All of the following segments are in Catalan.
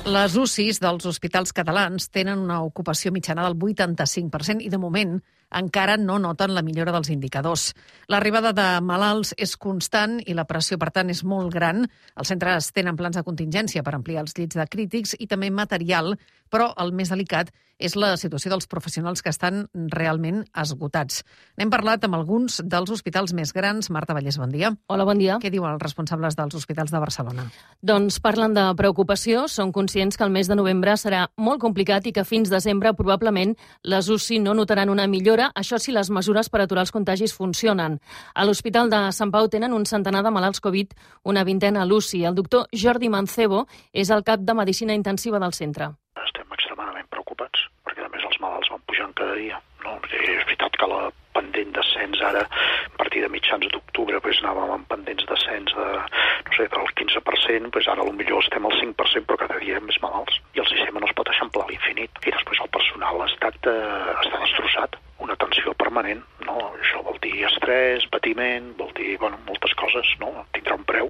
Les UCIs dels hospitals catalans tenen una ocupació mitjana del 85% i, de moment, encara no noten la millora dels indicadors. L'arribada de malalts és constant i la pressió, per tant, és molt gran. Els centres tenen plans de contingència per ampliar els llits de crítics i també material, però el més delicat és la situació dels professionals que estan realment esgotats. N'hem parlat amb alguns dels hospitals més grans. Marta Vallès, bon dia. Hola, bon dia. Què diuen els responsables dels hospitals de Barcelona? Doncs parlen de preocupació, són conscients que el mes de novembre serà molt complicat i que fins desembre probablement les UCI no notaran una millora, això si les mesures per aturar els contagis funcionen. A l'Hospital de Sant Pau tenen un centenar de malalts Covid, una vintena a l'UCI. El doctor Jordi Mancebo és el cap de Medicina Intensiva del centre. Estem extremadament preocupats, perquè a més els malalts van pujant cada dia. No? És veritat que la pendent d'ascens ara, a partir de mitjans d'octubre, anàvem amb pendents d'ascens del 15%, ara potser estem al 5%, però cada dia més malalts. I el sistema no es pot eixamplar a l'infinit. I després el personal està destrossat. Una tensió permanent, no? Això vol dir estrès, patiment, vol dir moltes coses, no? Tindrà un preu.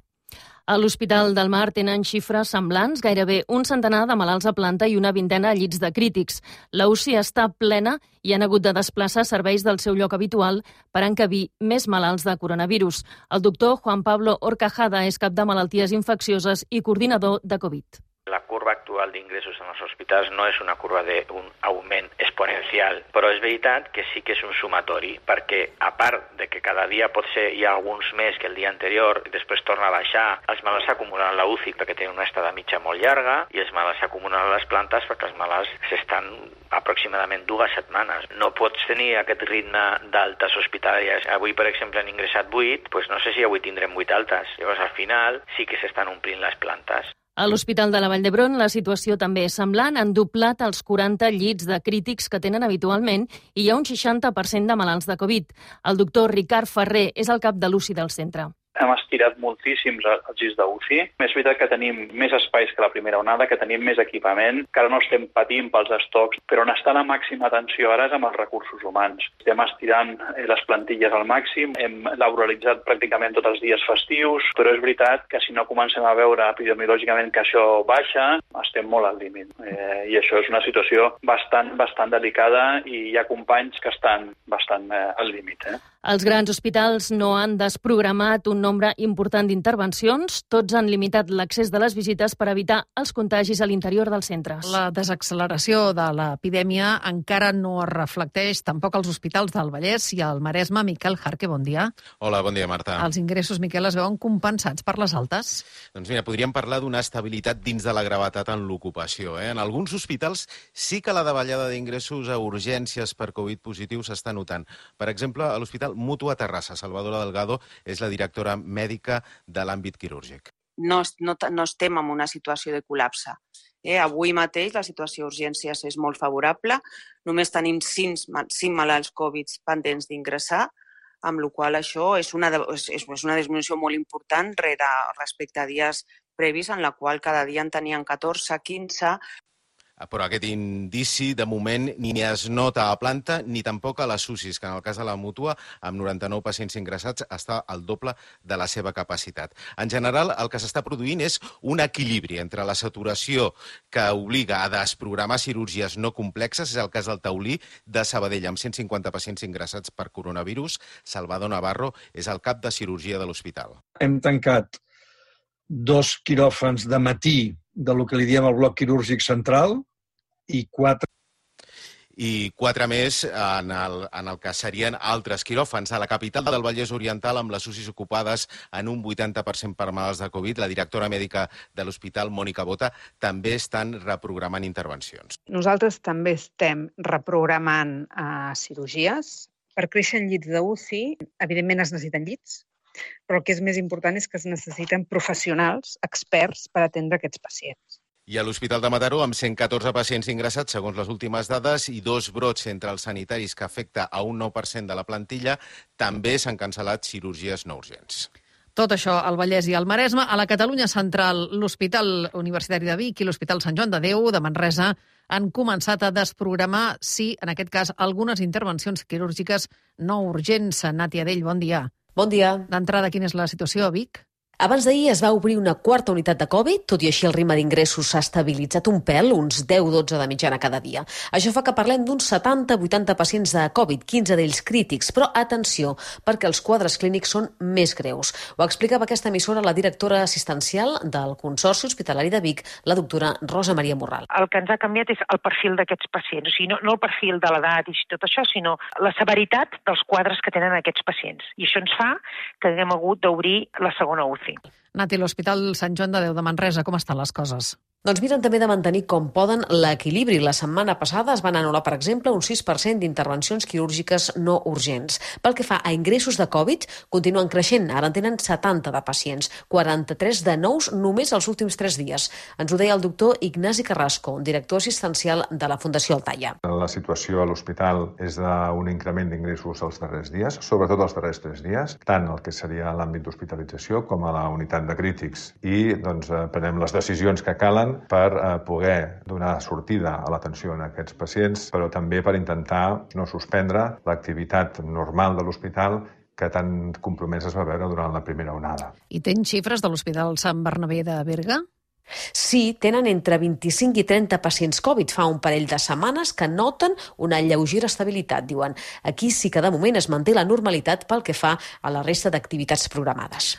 A l'Hospital del Mar tenen xifres semblants, gairebé un centenar de malalts a planta i una vintena a llits de crítics. La UCI està plena i han hagut de desplaçar serveis del seu lloc habitual per encabir més malalts de coronavirus. El doctor Juan Pablo Horcajada és cap de malalties infeccioses i coordinador de Covid. La curva actual d'ingressos en els hospitals no és una curva d'un augment exponencial, però és veritat que sí que és un sumatori, perquè a part de que cada dia potser hi ha alguns més que el dia anterior i després torna a baixar, els malalts s'acumulen a la UCI perquè tenen una estada mitja molt llarga i els malalts s'acumulen a les plantes perquè els malalts s'estan aproximadament 2 setmanes. No pots tenir aquest ritme d'altes hospitalàries. Avui, per exemple, han ingressat 8, doncs no sé si avui tindrem 8 altes. Llavors, al final, sí que s'estan omplint les plantes. A l'Hospital de la Vall d'Hebron la situació també és semblant. Han doblat els 40 llits de crítics que tenen habitualment i hi ha un 60% de malalts de Covid. El doctor Ricard Ferrer és el cap de l'UCI del centre. Hem estirat moltíssims els llits d'UCI. És veritat que tenim més espais que la primera onada, que tenim més equipament, que ara no estem patint pels estocs, però on està la màxima atenció ara és amb els recursos humans. Estem estirant les plantilles al màxim, hem laboralitzat pràcticament tots els dies festius, però és veritat que si no comencem a veure epidemiològicament que això baixa, estem molt al límit. I això és una situació bastant delicada i hi ha companys que estan bastant al límit. Els grans hospitals no han desprogramat un nombre important d'intervencions. Tots han limitat l'accés de les visites per evitar els contagis a l'interior dels centres. La desacceleració de l'epidèmia encara no es reflecteix tampoc als hospitals del Vallès i al Maresme. Miquel Jarque, bon dia. Hola, bon dia, Marta. Els ingressos, Miquel, es veuen compensats per les altes? Doncs mira, podríem parlar d'una estabilitat dins de la gravetat en l'ocupació. En alguns hospitals sí que la davallada d'ingressos a urgències per Covid positius s'està notant. Per exemple, a l'Hospital Mútua Terrassa. Salvadora Delgado és la directora mèdica de l'àmbit quirúrgic. No estem en una situació de col·lapse. Avui mateix la situació d'urgències és molt favorable. Només tenim 5 malalts Covid pendents d'ingressar, amb la qual cosa això és una disminució molt important respecte a dies previs, en la qual cada dia en tenien 14, 15... Però aquest indici, de moment, ni es nota a planta ni tampoc a les UCIs, que en el cas de la Mútua, amb 99 pacients ingressats, està al doble de la seva capacitat. En general, el que s'està produint és un equilibri entre la saturació que obliga a desprogramar cirurgies no complexes, és el cas del Taulí de Sabadell, amb 150 pacients ingressats per coronavirus. Salvador Navarro és el cap de cirurgia de l'hospital. Hem tancat 2 quiròfans de matí del que li diem el bloc quirúrgic central i 4 més en el que serien altres quiròfans. A la capital del Vallès Oriental, amb les UCIs ocupades en un 80% per malalts de Covid, la directora mèdica de l'hospital, Mònica Bota, també estan reprogramant intervencions. Nosaltres també estem reprogramant cirurgies. Per créixer en llits d'UCI, evidentment es necessiten llits, però el que és més important és que es necessiten professionals, experts, per atendre aquests pacients. I a l'Hospital de Mataró, amb 114 pacients ingressats, segons les últimes dades, i 2 brots entre els sanitaris que afecta a un 9% de la plantilla, també s'han cancel·lat cirurgies no urgents. Tot això al Vallès i al Maresme. A la Catalunya central, l'Hospital Universitari de Vic i l'Hospital Sant Joan de Déu de Manresa han començat a desprogramar, sí, en aquest cas, algunes intervencions quirúrgiques no urgents. Nàtia Dell, bon dia. Bon dia. D'entrada, quina és la situació a Vic? Abans d'ahir es va obrir una quarta unitat de Covid, tot i així el ritme d'ingressos s'ha estabilitzat un pèl, uns 10-12 de mitjana cada dia. Això fa que parlem d'uns 70-80 pacients de Covid, 15 d'ells crítics, però atenció, perquè els quadres clínics són més greus. Ho explicava aquesta emissora la directora assistencial del Consorci Hospitalari de Vic, la doctora Rosa Maria Morral. El que ens ha canviat és el perfil d'aquests pacients, o sigui, no el perfil de l'edat i tot això, sinó la severitat dels quadres que tenen aquests pacients. I això ens fa que haguem hagut d'obrir la segona UCI. Nati, l'Hospital Sant Joan de Déu de Manresa, com estan les coses? Doncs miren també de mantenir com poden l'equilibri. La setmana passada es van anul·lar, per exemple, un 6% d'intervencions quirúrgiques no urgents. Pel que fa a ingressos de Covid, continuen creixent. Ara en tenen 70 de pacients, 43 de nous només els últims 3 dies. Ens ho deia el doctor Ignasi Carrasco, director assistencial de la Fundació Altaia. La situació a l'hospital és d'un increment d'ingressos els darrers dies, sobretot els darrers 3 dies, tant el que seria l'àmbit d'hospitalització com a la unitat de crítics. I prenem les decisions que calen per poder donar sortida a l'atenció a aquests pacients, però també per intentar no suspendre l'activitat normal de l'hospital que tan compromès es va veure durant la primera onada. I tens xifres de l'Hospital Sant Bernabé de Berga? Sí, tenen entre 25 i 30 pacients Covid. Fa un parell de setmanes que noten una lleugera estabilitat, diuen. Aquí sí que de moment es manté la normalitat pel que fa a la resta d'activitats programades.